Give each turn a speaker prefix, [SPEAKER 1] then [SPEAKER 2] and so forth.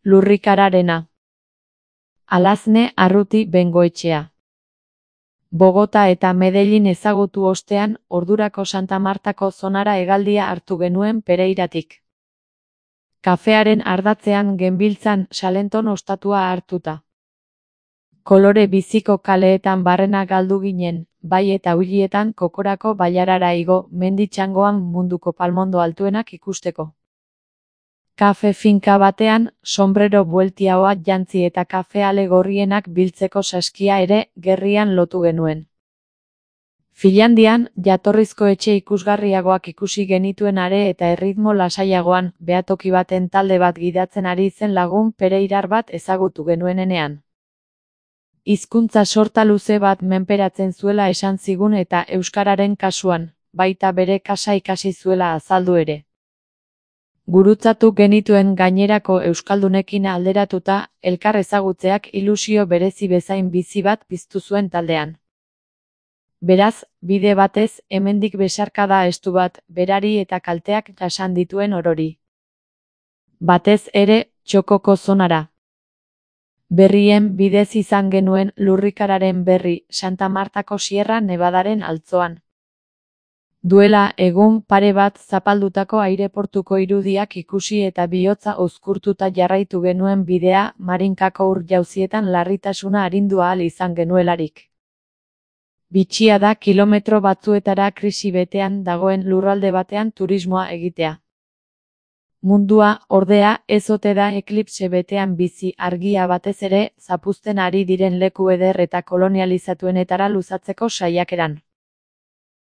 [SPEAKER 1] Lurrikararena. Alazne Arruti Bengoetxea. Bogota eta Medellin ezagutu ostean, ordurako Santa Martako zonara hegaldia hartu genuen Pereiratik. Kafearen ardatzean genbiltzan Salenton ostatua hartuta. Kolore biziko kaleetan barrena galdu ginen, bai eta huilietan kokorako bailarara igo, mendi txangoan munduko palmondo altuenak ikusteko. Kafe finka batean, sombrero bueltiaoa jantzi eta kafeale gorrienak biltzeko saskia ere gerrian lotu genuen. Finlandian, jatorrizko etxe ikusgarriagoak ikusi genituen are eta erritmo lasaiagoan, behatoki baten talde bat gidatzen ari zen lagun pereirar bat ezagutu genuenean. Hizkuntza sorta luze bat menperatzen zuela esan zigun eta euskararen kasuan, baita bere kasa ikasi zuela azaldu ere. Gurutzatu genituen gainerako euskaldunekin alderatuta, elkar ezagutzeak ilusio berezi bezain bizi bat piztu zuen taldean. Beraz, bide batez, hemendik besarkada estu bat, berari eta kalteak jasan dituen orori. Batez ere, txokoko zonara. Berrien bidez izan genuen lurrikararen berri Santa Martako Sierra Nevadaren altzoan. Duela egun pare bat zapaldutako aireportuko irudiak ikusi eta bihotza uzkurtuta jarraitu genuen bidea Marinkako ur-jauzietan larritasuna arindu ahal izan genuelarik. Bitxia da kilometro batzuetara krisi betean dagoen lurralde batean turismoa egitea. Mundua, ordea, ez ote da eklipse betean bizi argia batez ere zapuzten ari diren leku eder eta kolonializatuenetara luzatzeko saiakeran.